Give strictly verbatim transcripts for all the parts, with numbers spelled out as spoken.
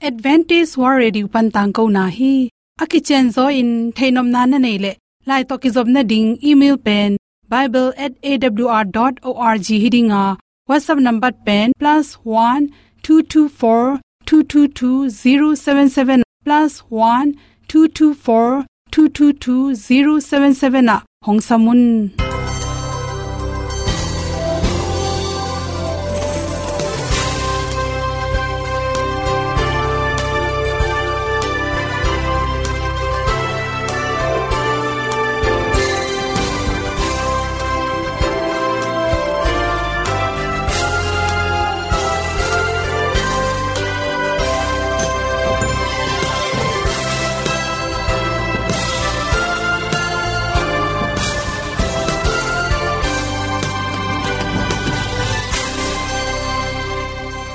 Adventist World Radio pan tangkona hi. A kicianzaw in theihnopna na neih leh, lai tawh kizopna ding email pen bible at A W R dot org hi ding a, WhatsApp number pen plus one two two four two two two zero seven seven, plus one two two four two two two zero seven seven ah hong sam un.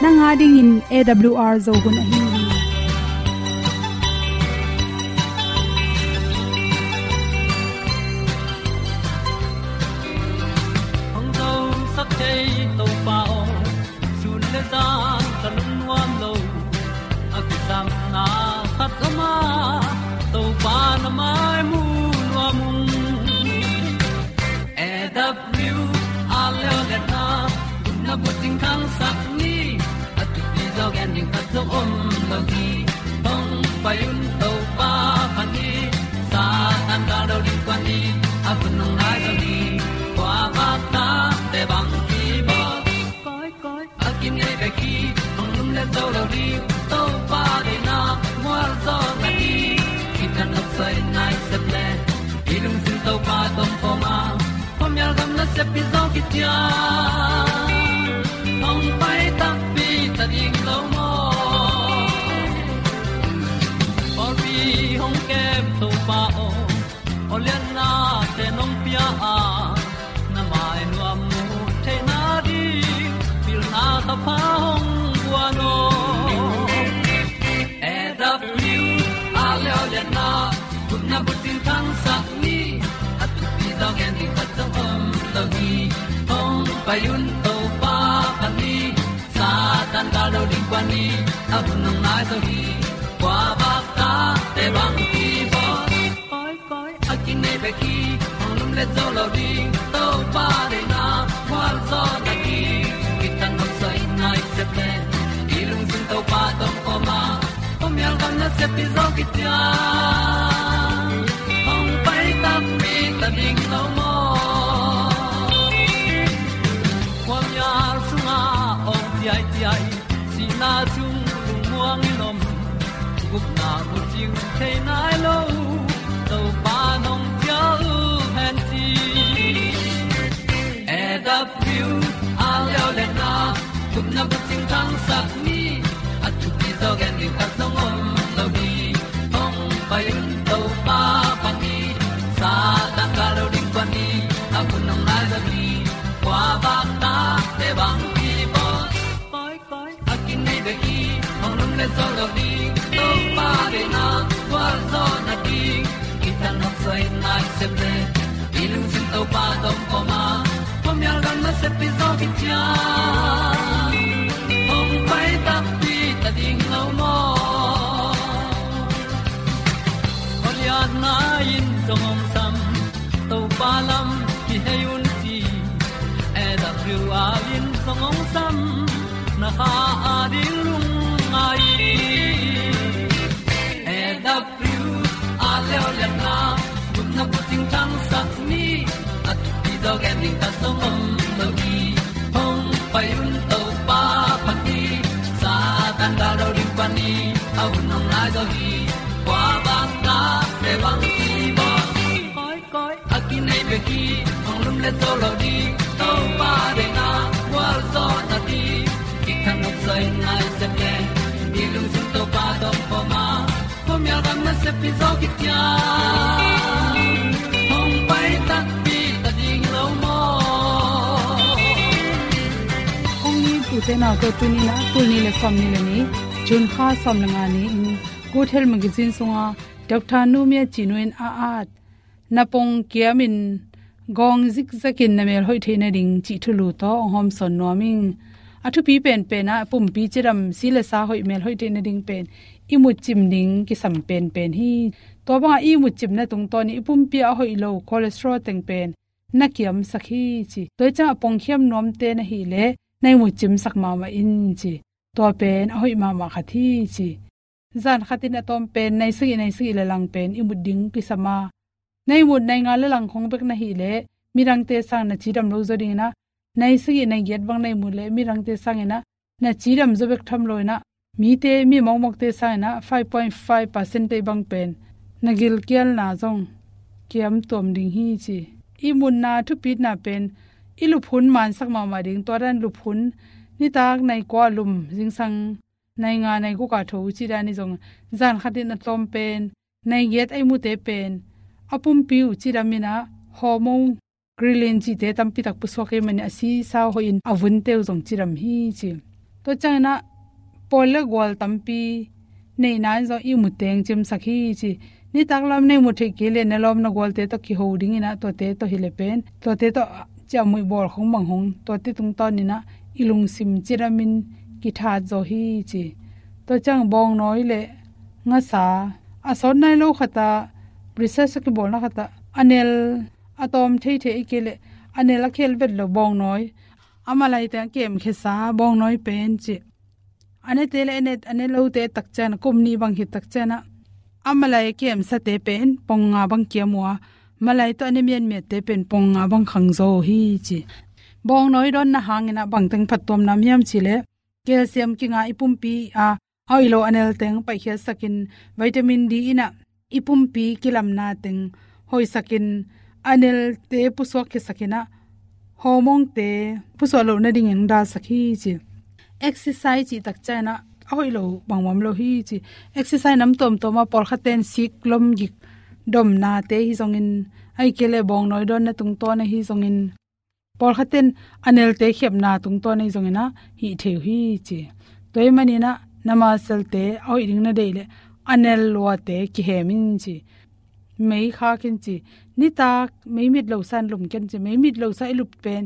Nang a dingin A W R Zo hun ahi hi. Hong zosak thei Topa aw, sun le zan ka lungnuam lo. A kisapna khat om a, Topa na mai mu nuam ung. A W R leo le na, na bucing khangsak ni. A thupi zaw gen ding khat zong om lo hi. Hong pai un Topa phat ni. Satan ka lo ding kua ni. A hun hong nai lo ni. Kua bak ta te bang ki bawl. Koi, koi. A kinei bek hi, hong lum le zo lo ding, Topa deihna mual zaw na hi. Kitang nok soi nai sep le, i lungsim Topa tawh om a, khuamial gam nasep hi zaw kician. Hong pai takpi ta ding lo maw. Pawlpi hong kem Topa aw, aw lianna te nong pia a, na mai nuam mu theihna ding, pilna thapha hong guan aw. A W R leo lianna, gupna bucing khangsak ni. A thupi zaw gen ding khat zong om lo hi. Hong pai un Topa phat ni. Satan ka lo ding kua ni. A hun hong nai zo hi. Kua bak ta te bang ki bawl. Koi, koi. A kinei bek hi, hong lum le zo lo ding, Topa deihna mual zaw na hi. Kitang nok soi nai sep le, i lungsim Topa tawh om a, khuamial gam nasep hi zaw kician. Hong pai takpi ta ding lo maw. Khuamial sungah awng ciaiciai, sihna sung lungmuang in om, gupna bucing thei nai lo, Topa nong cial hen ci. A W R leo lianna, gupna bucing khangsak ni. A thupi zaw gen ding khat zong om lo hi. Hong pai un Topa phat ni. Satan ka lo ding kua ni. A hun hong nai zo hi. Kua bak ta te bang ki bawl. Koi, koi. A kinei bek hi, hong lum le zo lo ding, Topa deihna gual zaw na ding. Kitang nok soi nai sep le, i lungsim Topa tawh om a, khuamial gam nasep hi zaw kician. Hong pai takpi ta ding lo maw. Aw lianna in zong hong sam, Topa lam kihei un ci. A W R in zong hong sam, na kha a ding lungngai. A W R leo lianna, gupna bucing khangsak ni. A thupi zaw gen ding khat zong om lo hi. Hong pai un Topa phat ni. Satan ka lo ding kua ni. A hun hong nai zo hi. Kua bak ta te bang ki bawl. Koi, koi. A kinei bek hi, hong lum le zo lo ding, Topa deihna gual zaw na ding. Kitang nok soi nai sep le, i lungsim Topa tawh om a, khuamial gam nasep hi zaw kician. Hong pai takpi ta ding lo maw. Kong ni tute na ko tuni na, tul ni le sawm ni le ni, June kha sawm le nga ni in, Good Health Magazine sunga Doctor Nu Mia Cin Nu in a at na pong kiamin gawng zikzakin na mel hoih theih nading cih thulu tawh hong hawmsawn nuam ing. A thupi penpen ah pumpi cidam, si le sa hoih, mel hoih theih nading pen i mutcim ding kisam penpen hi. Tua bangah i mutcimna tungtawn in i pumpi ah a hoih lo cholesterol teng pen na kiamsak hi ci. Tua ciangah pongkhiam nuamte na hih leh na i mutcimsak mahmah in ci. Tua pen a hoih mahmah khat hi ci. Zan khatin a tawm pen nai sagih, nai sagih le lang pen i mut ding kisam a, nai mut nai nga le lang khong bek na hih leh midangte sang na cidam lo zaw dingin ah, nai sagih nai giat bang nai mut leh midangte sangin ah na cidam zaw bek tham lo in ah, mite, mi mawkmawkte sangin ah five point five percent te bang pen na gilkialna zong kiam tuam ding hi ci. I mutna thupitna pen i lup hun mansak mahmah ding. Tua dan lup hun, nitak nai kua lum, zingsang nai nga nai guk a tho cih dan hi zong, zan khatin a tawm pen nai giat a i mute pen a pumpi uh cidam in ah, hormone ghrelin cihte tampi tak pusuak ahih manin a si sa hoih in a vunte uh zong cidam hi ci. Tua ciangin ah pawl le gual tampi neihna in zong i mut teng cimsak hi ci. Nitak lam na i mut theih kei leh na lawm na gualte tawh kiho dingin ah, tuate tawh hi leh pen, tuate tawh ciahmuih bawl khong bang hong, tuate tungtawn in ah i lungsim cidamin kithat zaw hi ci. Tua ciang bawngnawi le ngasa, a sawt nai lo khat ah, research a kibawlna khat ah, a nel a tawm theithei ahih kei leh a nel a khel vet lo bawngnawi, a malai teng a kemkhia sa bawngnawi pen ci. A nete le a ne, a ne lote tak ciang, kum nih bang khit tak ciang ah, a malai a kemsate pen pong nga bang kiam uh a, malai tawh a ne miatmiatte pen pong nga bang khang zaw hi ci. Bawngnawi dawnna hangin ah bang teng phattuamna om hiam cih leh, calcium kinga i pumpi ah a hoih lo a nel teng paikhiatsakin, vitamin D in ah i pumpi kilamna teng hoihsakin, a nelte pusuak khiasakin ah, hormonete pusuak loh nadingin dalsak hi ci. Exercise cih tak ciang ah a hoih lo bangmah om lo hi ci. Exercise nam tuamtuam ah, pawlkhatte in sik lom gik domnate hi zongin, ahih kei leh bawngnawi dawnna tungtawn ahi zongin, pawlkhatte in a nelte khiapna tungtawn ahi zongin ah hih thei uh hi ci. Tua ahih manin ah na muscle-te a hoih ding na deih leh a nel luate kihem in ci. Mei khak in ci. Nitak mei mit lo sa in lum ken ci. Mei mit lo sa i lup pen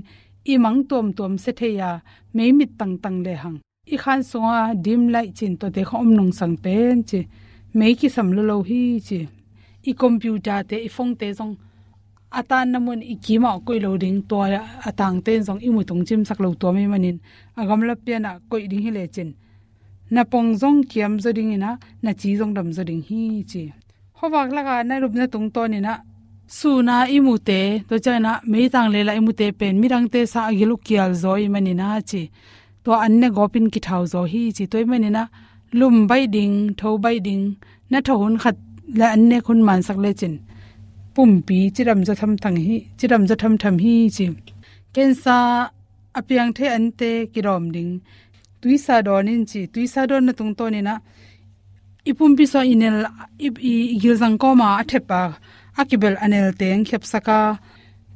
i mang tuamtuam sia thei a, mei mit tangtang lehang i khan sungah dim light ci-in tuate khong om nungsang pen ci. Mei kisam lua lo hi ci. I computer-te, i phone-te zong a tanna mun i kimah koih lo ding, tua a tangte in zong i mu tung cimsak lo tuam ahih manin, a gamla pian ah koih ding hi lecin na pong zong kiam zaw dingin ah, na ci zong dam zaw ding hi ci. Khuavak lakah na lupna tungtawn in ah, sun a i mute, tua ciangin ah meitang lela i mute pen midangte sang a gil uh kial zaw ahih manin ah ci. Tua an ne gawpin kithau zaw hi ci. Tua ahih manin ah lum baih ding, tho baih ding, na tho hun khat le an nek hun mansak lecin pumpi cidam zaw thamtham hi, cidam zaw thamtham hi ci. Cancer a piang thei ante kidawm ding. Tuisa dawn in ci. Tuisa dawnna tungtawn in ah, i pumpi sungah i nel, i, i, i gilzang kawma a thep a, a kibel a nel teng khiapsak a,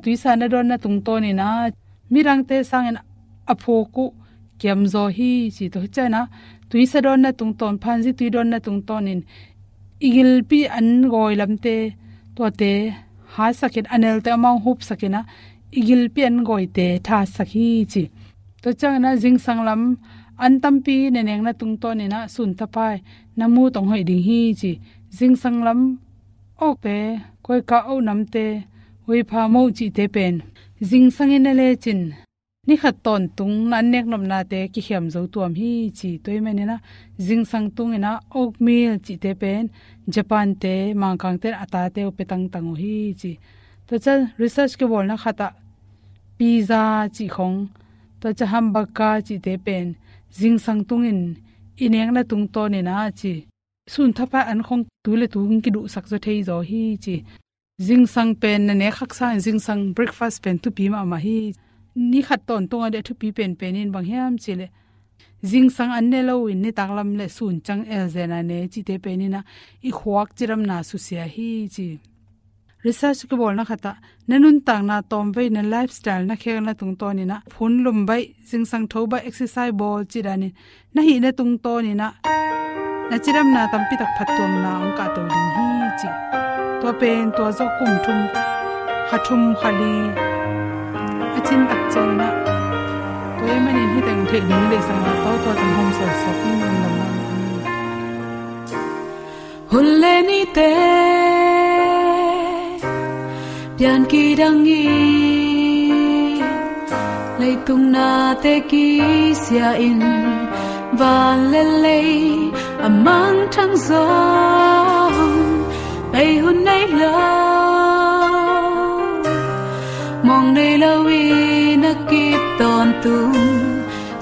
tuisa na dawnna tungtawn in ah, midangte sangin a phuk uh kiam zaw hi ci. Tua hi ciangin ah, tuisa dawnna tungtawn, phanzi tui dawnna tungtawn in i gilpi an gawi lamte, tuate hatsakin, a nelte amau hupsakin ah, i gilpi an gawite thatsak hi ci. Tua ciangin ah zingsang lam an tampi na nekna tungtawn in ah, sun thapai na mu tong hoih ding hi ci. Zingsang lam oakte, koika oak namte, huipha moh cihte pen zingsang in na lecin, ni khat tawntung na an nek nopnate kikhiam zo tuam hi ci. Tua ahih manin ah zingsang tungin ah oatmeal cihte pen Japan-te, Mangkangte in a tate uh pia tangtang uh hi ci. Tua ciang research kibawlna khat ah pizza cih khong, tua ciang hamburger cihte pen zingsang tungin i nekna tungtawn in ah ci, sun thapai an khong tu le tu hong kiduhsak zaw thei zaw hi ci. Zingsang pen na nek haksa in, zingsang breakfast pen thupi mahmah hi. Ni khat tawntung a dih a thupi penpen in bang hiam cih leh, zingsang an ne lo in nitak lam le sun ciang elzen a ne cihte pen in ah i khuak cidamna susia hi ci. Research kibawlna khat ah, na nuntakna tawmvei, na lifestyle, na khelna tungtawn in ah phun lum baih, zingsang tho baih, exercise bawl cih danin na hihna tungtawn in ah na cidamna tampi tak phattuamna hong kahto ding hi ci. Tua pen tua zawh kum thum, kha thum, kha li a cin tak ciangin ah Tua ahih manin hih teng theih ding lei sangin a tawtaw teng hong sawlsak in lam lam. Hun le nite pian kidang in, leitung nate kisia in, van le lei a mangthang zong bei hun nei lo, mawng nei lo in a kip tawntung,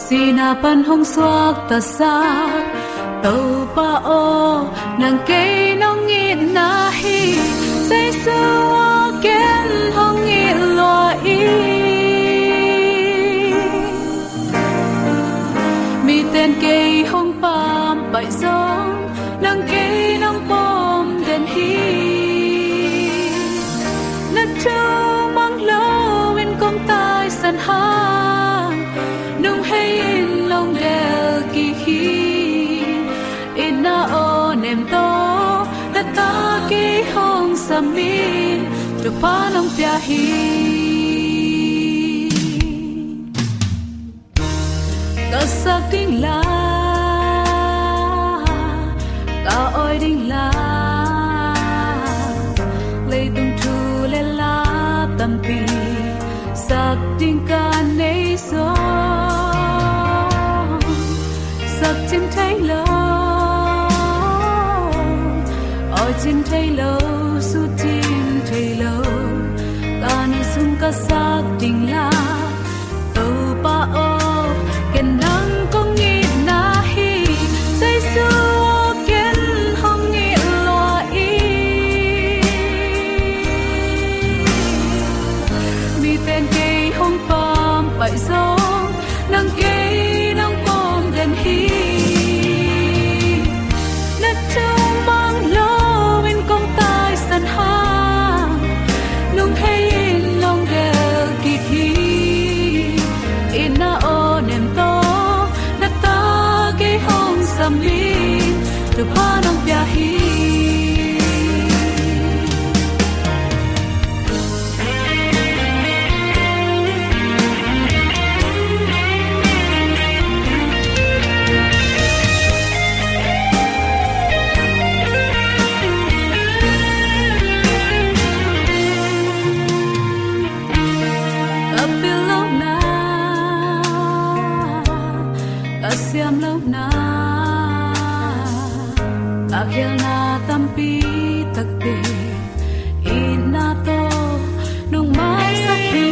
sihna pan hong suaktasak Topa aw, nang kei nong itna hi. Jesu aw, ken hong it lua ing. Miten kei hong pampaih zong, nang kei nong pom den hi. Na thu mang loin kong taisan hang, nung hei in long del kik hi. Itna aw nem tawh, na ta kei hong sam in, thupha nong pia hi. Ka sak ding la, ka awi ding la, leitung thu le la tampi sak ding ka nei zong, sak cin thei lo, awi cin thei lo, su cin thei lo, ka nun sung ka sak ding la. Topa aw, ken nang kong itna hi. Jesu aw, ken hong it lua ing. Miten kei hong pampaih zong, nang kei nong pom den hi. Na thu mang loin kong taisan hang, nung hei in long del kik hi. Itna aw nem tawh, na ta kei hong sam in, thupha nong pia hi. Ka pil lohna, ka siam lohna, ka khialna tampi takte, itna tawh nong maisak hi.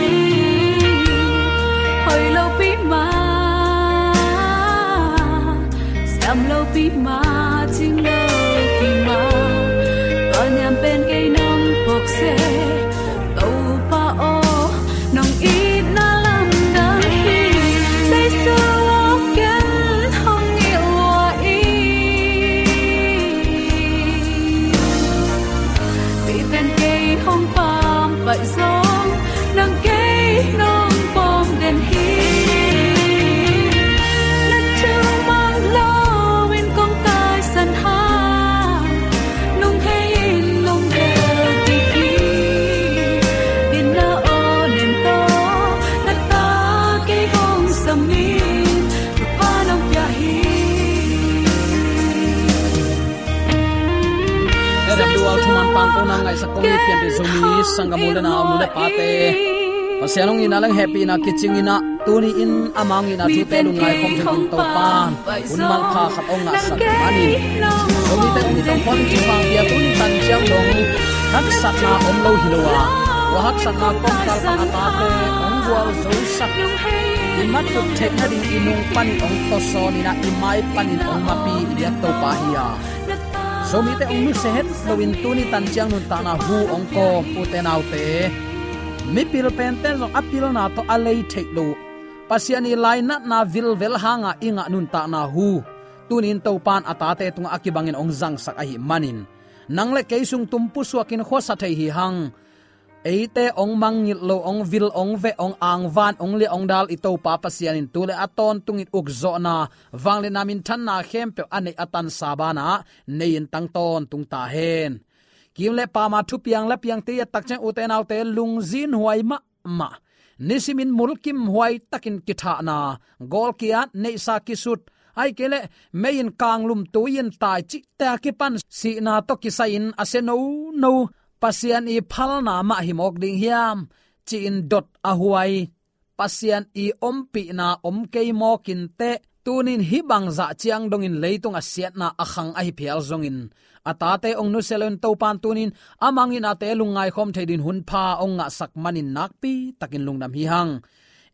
Hoih lo pi mah, siam lo pi mah, cing lo pi mah, tua niam pen kei nong phawk se. Topa aw, nong itna lamdang hi. Jesu aw, ken hong it lua ing. Miten kei hong pampaih zong, nang kei nong pom den hi. Na thu mang loin kong taisan hang, nung hei in long del kik hi. Itna aw nem tawh, na ta kei hong sam in, thupha nong pia hi. A W R thuman pangkona ngaihsak kong it pianpih Zomi sanggam u le nau, nu le pate, Pasian hong itna le hehpihna kicing in ah, tuni in ama hong itna thute lungngai khawm dingin Topa'n hun manpha khat hong ngahsak manin, Zomite hong it tawh pawl in cih bang pia, tuni tan ciang dong haksatna om lo hi lo a, tua haksatna kawmkal pan a tate hong gualzosak, i mat ut theih nading i nung panin hong tawsawn in ah, i mai panin hong mapi i biak Topa hi a, Zomite hong nusia het loin tuni tan ciang nuntakna hu hong kawm ute naute, mipil pente zong a pilna tawh a lei theih loh, Pasian ii lainatna vilvel hanga i ngah nuntakna hu tuni in Topa'n a tate tungah a kibangin hong zangsak ahih manin, nang le kei sung tum pusuakin khuasa thei hi hang. Eite hong mangngilh lo, hong vil, hong veh, hong angvan, hong liah, hong dal i Topa Pasian in tu le a tawntungin ukzawhna, vangliatna, minthanna khempeuh a neih a tansa banah nei in tang tawntung ta hen. Kim le pama thupiang le piangte i et tak ciang ute naute, lungzinhuai mahmah, nisimin mulkimhuai takin kithahna, gawlkiat, neihsa kisut, ahih kei leh mei-in kanglum, tui-in tai cihte a kipan sihna tawh kisai-in a sia nono Pasian i phalna mah hi mawk ding hiam, ci-in dot a huai Pasian i ompihna om kei mawk inteh, tunin hih bang zah ciang dongin leitung a siatna a khang ahi phial zongin, a tate hong nusia loin Topan tunin a mang itnate lungngai khawm thei dingin hun pha hong ngahsak manin nakpi takin lungdam hi hang.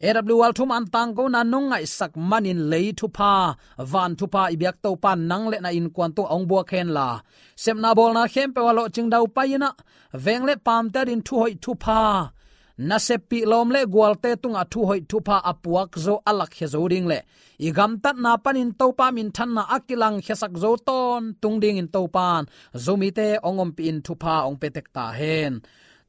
A W R thuman tangkona nong ngaihsak manin lei thupha, van thupha i biak Topan nang le na innkuan tungah hong buak henla, sepna bawlna khempeuh ah lawhcing daupai in ah, veng le paamte adingin thuhoih thupha, naseppih lawm le gualte tungah thuhoih thupha a puak zo, a lakkhia zo ding le i gamtatna panin Topa minthanna a kilangkhiasak zo tawntung dingin Topan Zomite hong ompihin thupha hong pia tek ta hen.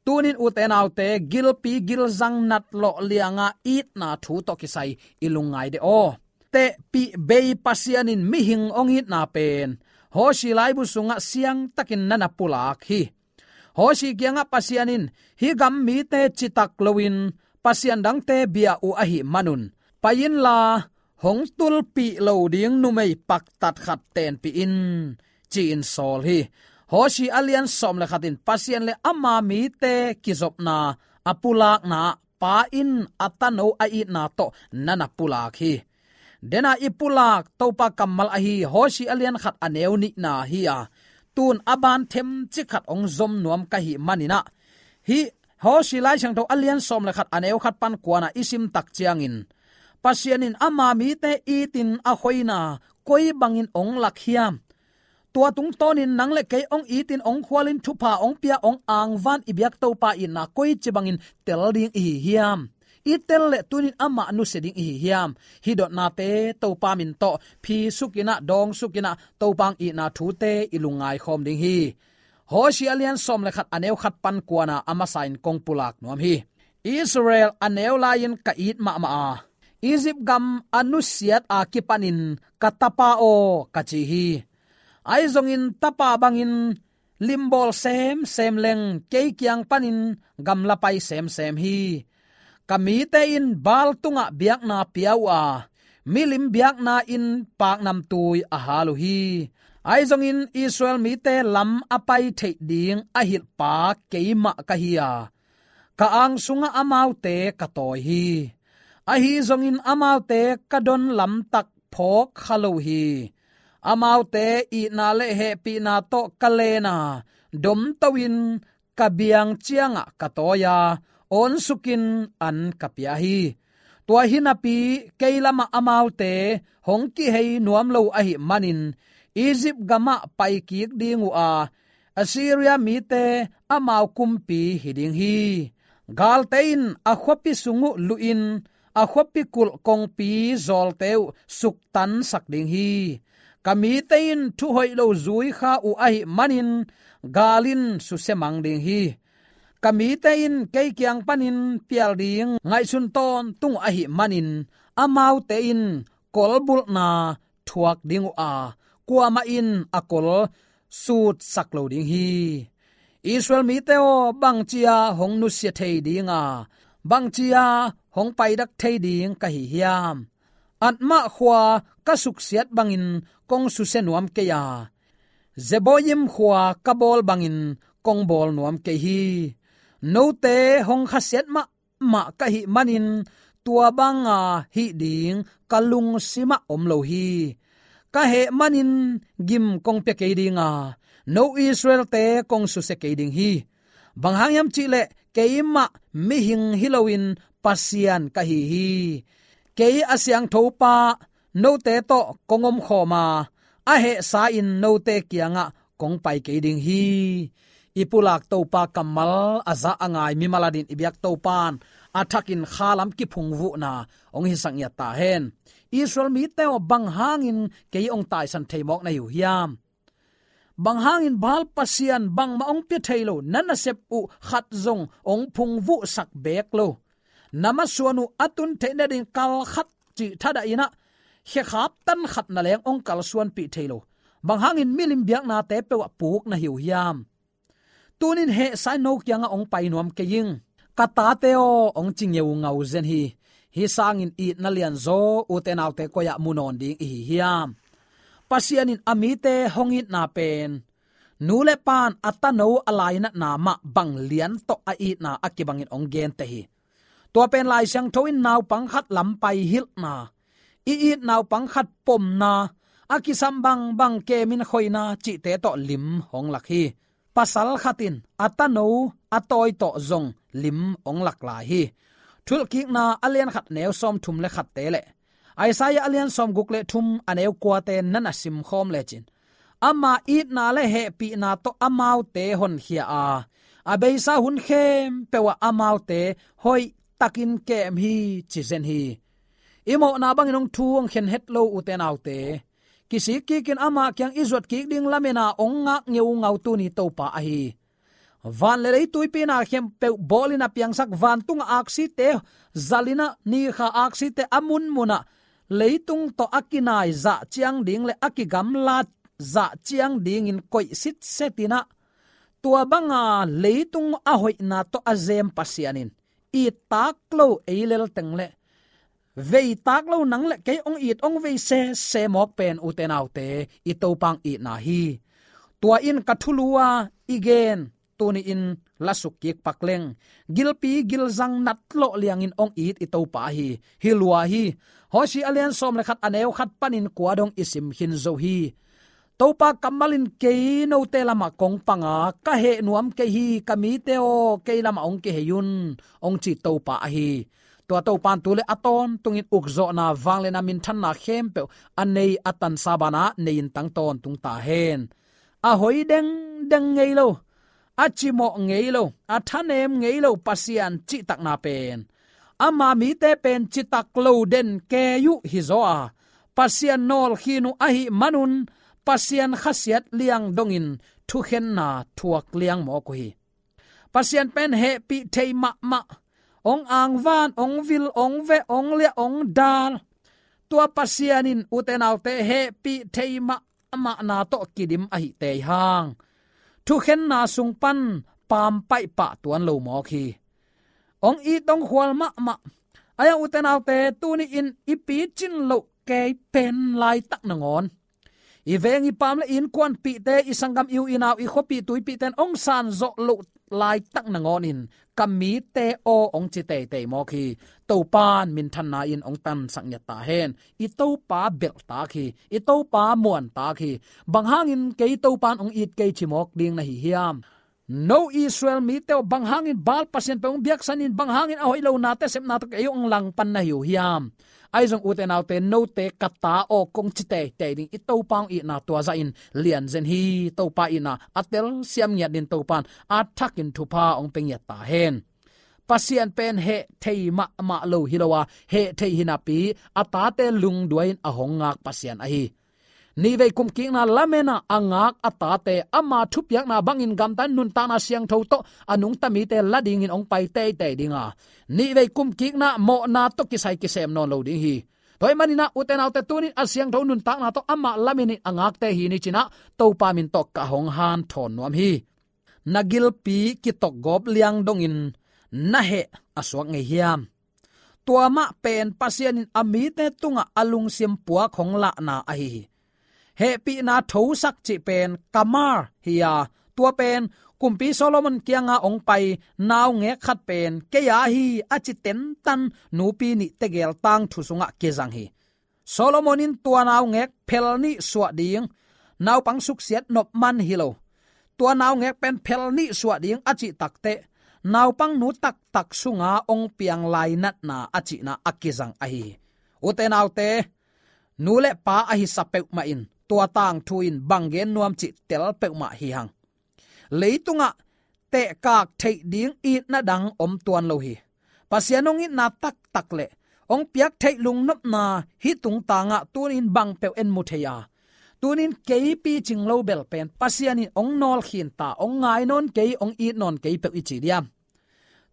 Tunin ute naute, gilpi gilzang natlawh lianga itna thu tawh kisai i lungngai de aw. Tehpih bei Pasian in mihing hong itna pen Hosea laibu sungah siangtakin na na pulak hi. Hosea kiangah Pasian in, "Hih gam mite citak loin pasian dangte bia uh ahih manun, pai inla hong tulpih lo ding numei paktat khat tenpih in," ci-in sawl hi. Hosea a lian sawm le khat in Pasian le ama mite kizopna a pulakna pa in a tano a itna tawh na na pulak hi. Dena i pulak Topa kammal ahi Hosea a lian khat a neu nihna hi a, tun a ban themcik khat hong zom nuam ka hih manin ah, hih Hosea Lai Siangtho a lian sawm le khat a neu khat pan kuana i sim tak ciangin, Pasian in ama mite itin a khoina koi bangin hong lak hiam? Tua tungtawnin nang le kei hong itin hong khualin thupha hong pia hong angvan i biak Topa itna koici bangin tel ding i hi hiam? I tel le tunin amah nusia ding i hi hiam? Hih dotnate Topa min tawh phi sukinah, dawng sukinah, Topa hong itna thute i lungngai khawm ding hi. Hosea a lian sawm le khat a neu khat pan kuana a masa in kong pulak nuam hi. Israel a neu lai-in ka it mahmah a, Egypt gam a nusiat a kipanin ka tapa aw ka ci hi. Ahi zongin tapa bangin limbawl semsem leng kei kiang panin gamla pai semsem hi. Ka mite in Baal tungah biakna pia uh a, milim biakna in paknamtui a hal uh hi. Ahi zongin Israel mite lam a pai theih ding a hilhpa keimah ka hi a, ka ang sungah amaute ka tawi hi. Ahi zongin amaute ka don lamtak phawk kha lo hi. Amaute itna le hehpihna tawh ka len a, domto-in ka biang ciangah ka tawi a, awnsukin an ka pia hi. Tua hi napi kei lamah amaute hong kihei nuam lo ahih manin Egypt gamah paikik ding uh a, Assyria mite amau kumpi hi ding hi. Galte in a khuapi sung uh luhin a khuapi kulh kongpi zawlte uh suktansak ding hi. Ka mite in thuhoih lo zui kha uh ahih manin gal in susia mang ding hi. Ka mite in kei kiang panin pial ding ngaihsun tawntung uh ahih manin amaute in kolbulhna thuak ding uh a, kuamah in a kol sutsak lo ding hi. Israel mite aw, bangci-a hong nusia thei ding a, bangci-a hong paidak thei ding ka hi hiam? Admah khua ka suksiat bangin kong susia nuam kei a, Zeboim khua ka bawl bangin kong bawl nuam kei hi. Note hong khasiat mahmah ka hih manin tua banga hih ding ka lungsimah om lo hi. Ka heh manin gim kong pia kei ding a, no Israelte kong susia kei ding hi. Bang hang hiam cihleh keimah mihing hi loin Pasian ka hi hi. Kei a siangthopa note tawh kong omkhawm a, a hehsa-in note kiangah kong pai kei ding hi. I pulak Topa kammal a za a ngai mimal adingin i biak Topan a thakin khalam kiphungvuhna hong hisak ngiat ta hen. Israel mite aw, bang hangin kei hong taisan thei mawk na hi uh hiam? Bang hangin Baal pasian bangmah hong pia thei lo, na nasep uh khat zong hong phungvuhsak beek lo, na masuan uh a tun theih nading kal khat cih thadah in ah, khekhap tan khat na leng hong kalsuanpih thei lo, bang hangin milim biaknate peuh ah puk na hi uh hiam? Tunin hehsa-in no kiangah hong pai nuam kei ing. Ka tate aw, hong ci ngeungau zen hi. Hih sangin itna lianzaw, ute naute, koi-ah mu nawn ding i hi hiam? Pasian in a mite hong itna pen, nu le pa'n a tano a lainatna mah bang lian tawh a itna a kibangin hong gente hi. Tua pen Lai Siangtho in naupang khat lam pai hilhna, i it naupang khat pomna, a kisam bangbang kemin khoina cihte tawh lim hong lak hi. Pasal khat in a tano a tawi tawh zong lim hong lak lai hi. Thuhilhkikna a lian khat neu sawmthum le khatte le Isaiah a lian sawmguk le thum a neu kuate na na simkhawm lecin, ama itna le hehpihna tawh amaute honkhia a, a beisa hun khempeuh ah amaute hoihtakin kem hi, ci zen hi. I mawhna bangin hong thu hong khen het lo, ute naute, kisik kikin ama kiang i zuat kik ding lamen a hong ngak ngeungau tuni Topa ahi. Van le lei tuipi na khempeuh bawlin a piangsak, vantungah aksite zalin ah, nikha aksite a munmun ah, leitung tawh a kinai zah ciang ding le a kigamlat zah ciang dingin koih sitsetin ah, tua banga leitung a hoihna tawh a zem Pasian in, it tak lo ei lel teng le vei tak lo nang le kei hong it hong vei sese mawk pen, ute naute, i Topa hong itna hi. Tua in ka thulu a i gen tuni-in la suk kik pak leng, gilpi gilzang natlawh liangin hong it i Topa hi. Hi lua hi. Hosea a lian sawm le khat a neu khat panin kua dong i sim khin zo hi. Topa kammal in kei note lamah kong pang a, ka heh nuam kei hi, ka mite aw, kei lamah hong kihei un, hong ci Topa ahi. Tua Topa in tu le a tawntungin ukzawhna, vangliatna, minthanna khempeuh a nei a tansa banah nei in tang tawntung ta hen. A hoi dengdeng ngei lo, a cimawh ngei lo, a thanem ngei lo Pasian cihtakna pen, ama mite pen citak lo den kei uh hi zaw a, Pasian nawlkhin uh ahih manun, Pasian khasiat liang dongin thukhenna thuak liang mawk uh hi. Pasian pen hehpih thei mahmah, hong angvan, hong vil, hong veh, hong liah, hong dal. Tua Pasian in, ute naute, hehpih thei mahmahna tawh kidim ahih tei hang, thukhenna sung pan pampaih pah tuan lo mawk hi. Hong it hong khual mahmah. Ahi hang, ute naute, tuni-in i picin loh kei pen laitak nangawn, i veng i pam le i innkuanpihte, i sanggam, i u i nau, i khuapih tuipihte in hong sanzawh loh laitak nangawnin, ka mite aw, hong ci teitei mawk hi. Topa in minthanna in hong tansak ngiat ta hen. I Topa belhtak hi. I Topa muantak hi. Bang hangin kei Topa in hong it kei ci mawk ding na hi hiam? No Israel mite aw, bang hangin Baal pasian peuh hong biaksanin, bang hangin a hoih lo nate sepna tawh kei hong langpan na hi uh hiam? Ahi zong, ute naute, note ka ta aw, kong ci teitei ding, i Topa hong itna tua zahin lian zen hi. Topa itna a telsiam ngiat ding, Topa in a thakin thupha hong pia ngiat ta hen. Pasian pen heh thei mahmah lo hi lo a, heh thei hi napi a tate lungduai in a hong ngak Pasian ahi. Nihvei kumkikna lamen a a ngak a tate, ama thupiakna bangin gamta in nuntakna siangtho tawh a nungta mite la dingin hong pai teitei ding a, nihvei kumkikna mawhna tawh kisai kisem nawn lo ding hi. Tua ahih manin ah, ute naute, tuni-in a siangtho nuntakna tawh amah lamen in a ngakte hi ni ci-in ah, Topa min tawh ka hong hanthawn nuam hi. Na gilpi kitokgawp liang dongin na heh a suak ngei hiam? Tua mah pen Pasian in a mite tungah a lungsim puak hong lahna ahi hi. Hehpihna thosak cih pen kamar hi a, tua pen Kumpi Solomon kianga hong pai naungek khat pen kei a hi a ci tentan nupi nih tegel tangthu sungah kizang hi. Solomon in tua naungek phel nih suah ding, naupang suksiat nop man hi lo, tua naungek pen phel nih suah ding a cih takteh, naupang nu taktak sunga hong piang lainatna a cihna a kizang ahi hi. Ute naute, nu le pa a hisa peuhmah in tua tangthu in bang gen nuam cih tel peuhmah hi hang. Leitungah tehkak theih ding itna dang om tuan lo hi. Pasian hong itna taktak le hong piak theih lungnopna hih tungtangah tuni-in bang peuh en mu thei a, tuni-in kei picing lo bel pen Pasian in hong nawlkhin ta, hong ngai nawn kei, hong it nawn kei peuh i ci diam?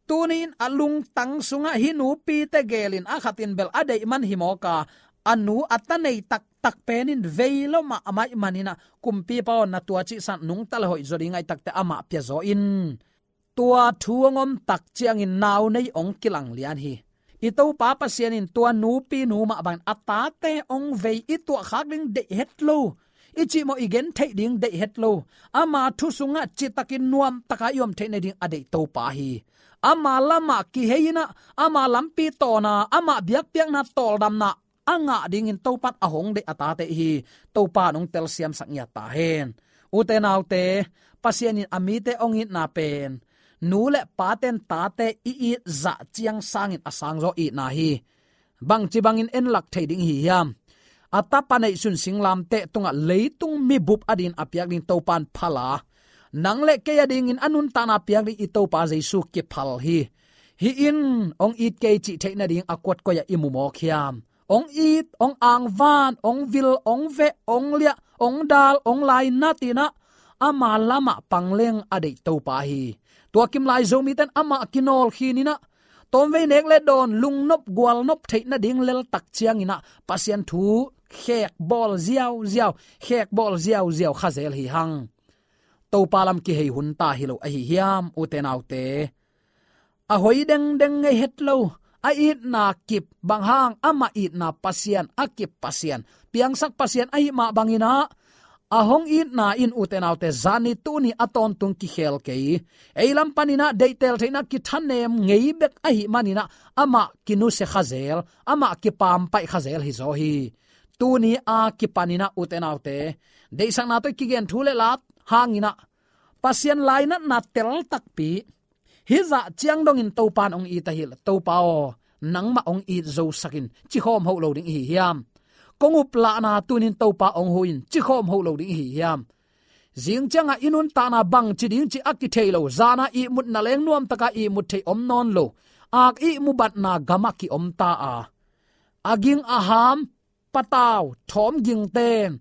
Tuni-in a lungtang sungah hih nupi tegel in a khat in bel a deih man hi mawk a, a nu a ta nei taktak pen in vei lo mahmah ahih manin ah, Kumpipa aw, na tua cih san nungta le hoih zaw ding ahih takteh amah pia zaw in. tua thu hong om tak ciangin nau nei hong kilang lian hi. I Topa Pasian in tua nupi nu mah bangin a tate hong vei, i tuahkhak ding deih het lo, i cihmawh i gentheih ding deih het lo, ama thu sungah citakin nuamtaka i om theih nading a deih Topa hi. Ama lamah kihei in ah, ama lampi tawn a, ama biakpiakna tawldamna a ngah dingin Topan a hong deih a tate hi. Topa in hong telsiamsak ngiat ta hen. Ute naute, Pasian in a mite hong itna pen nu le pate'n tate i it zah ciang sangin a sangzaw itna hi. Bangci bangin en lak thei ding hi hiam? A tapa neihsun singlamteh tungah leitung mibup adingin a piak ding Topan phal a, nang le kei adingin a nuntakna piak ding i Topa Jesu kiphal hi. Hih in hong it kei cih theih nading a kuat koi-ah i mu mawk hiam? Hong it, hong angvan, hong vil, hong veh, hong liah, hong dal, hong lainat in ah, ama lamah pang leng a deih Topa hi. Tua kim lai Zomite'n amah kinawl khin in ah, tawmvei nek le dawn, lungnop gualnop theih nading lel tak ciangin ah, Pasian thu khekbawl ziauziau, khekbawl ziauziau kha zel hi hang. Topa lam kihei hun ta hi lo ahi hiam, ute naute? A hoi dengdeng ngei het lo, a itna kip, bang hang? Amah itna Pasian, a kip Pasian, piangsak Pasian ahih mah bangin ah, a hong itna in, ute naute, zani tuni a tawntung kikhel kei. Ei lam panin ah deihtel theihna kithanem ngei bek ahih manin ah, amah kinusia kha zel, amah kipampaih kha zel hi zaw hi. Tuni a kipanin ah, ute naute, deihsakna tawh i kigen thu le la hangin ah, Pasian lainatna tel takpi, hih zah ciang dongin Topa in hong it ahi leh, Topa aw, nangmah hong it zosak in, ci khawm hoh lo ding i hi hiam? Kong uplahna tuni-in Topa hong huh in, ci khawm hoh lo ding i hi hiam? Zing ciangah i nuntakna bangci ding cih a kithei lo, zana ihmutna leng nuamtaka ihmut thei om nawn lo, ak ihmu batna gamah ki-om ta a, a ging a ham, patau, thawm gingte'n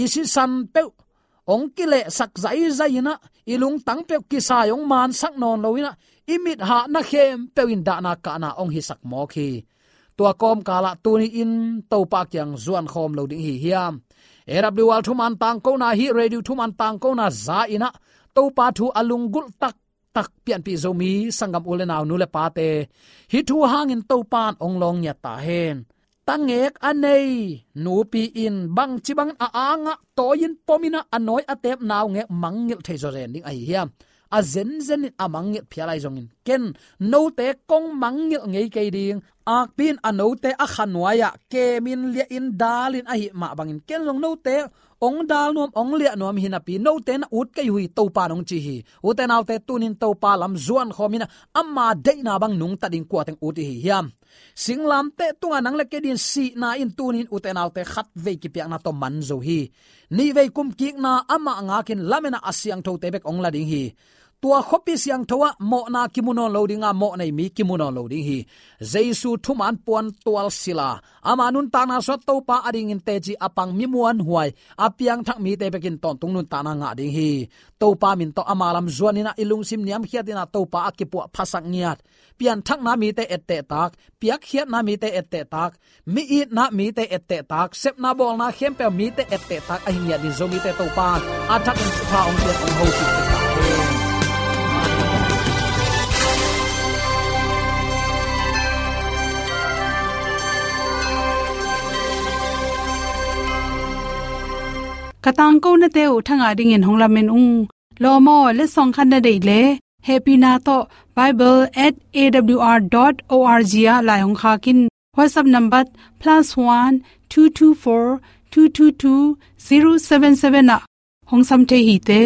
i sisan peuh hong kilehsak zaizai in ah, i lungtang peuh kisai hong mansak nawn lo in ah, i mithahna khempeuh in dahna kahna hong hisak mawk hi. Tua kawmkalah tuni-in Topa kiang zuan khawm lo ding i hi hiam? A W R thuman tangkona, hih radio thuman tangkona za in ah, Topa thu a lunggulh tak tak pianpih Zomi sanggam u le nau, nu le pate, hih thu hangin Topa in hong lawng ngiat ta hen. Tangek a nei nupi in bangci bangin a angah tawi-in pom in ah, a nawi a teep naungek mangngilh thei zawzen ding ahi hiam? A zenzen in a mangngilh phial ahi zongin, ken note kong mangngilh ngei kei ding. Akpi in a note a kha nuai-ah kemin, liahin, dalin ahih mah bangin, ken zong note hong dal nuam, hong liah nuam hi napi, note na ut kei uh hi, Topa in hong ci hi. Ute naute, tuni-in Topa lam zuan khawm in ah, ama deihna bang nungta ding kua teng ut i hi hiam? Singlamteh tungah nang le kei dingin sihna in tuni-in, ute naute, khatvei kipiakna tawh man zo hi. Nihvei kumkikna amah ngakin, lamen ah a siangthote bek hong la ding hi. Tua khuapi siangtho ah mawhna kimu nawn lo ding a, mawhnei mi kimu nawn lo ding hi. Jesu thuman puan tualsil a, ama nuntakna suah Topa adingin teci a pang mi muanhuai, a piangthak mite bekin tawntung nuntakna ngah ding hi. Topa min tawh ama lam zuan in ah, i lungsim niamkhiat in ah Topa a kipuah phasak ngiat, pianthakna mite etteh tak, piakkhiatna mite etteh tak, mi itna mite etteh tak, sepna bawlna khempeuh mite etteh tak ahi ngiat dingin Zomite Topa in a thakin thupha hong pia, hong hopih ta hen. Ka tangkonate uh thangah dingin hong lamen ung. Lawm aw, letsong khat na deih leh, hehpihna tawh bible at A W R dot O R G ah lai hong khak in. WhatsApp number plus one two two four two two two zero seven seven ah hong sam thei hi te.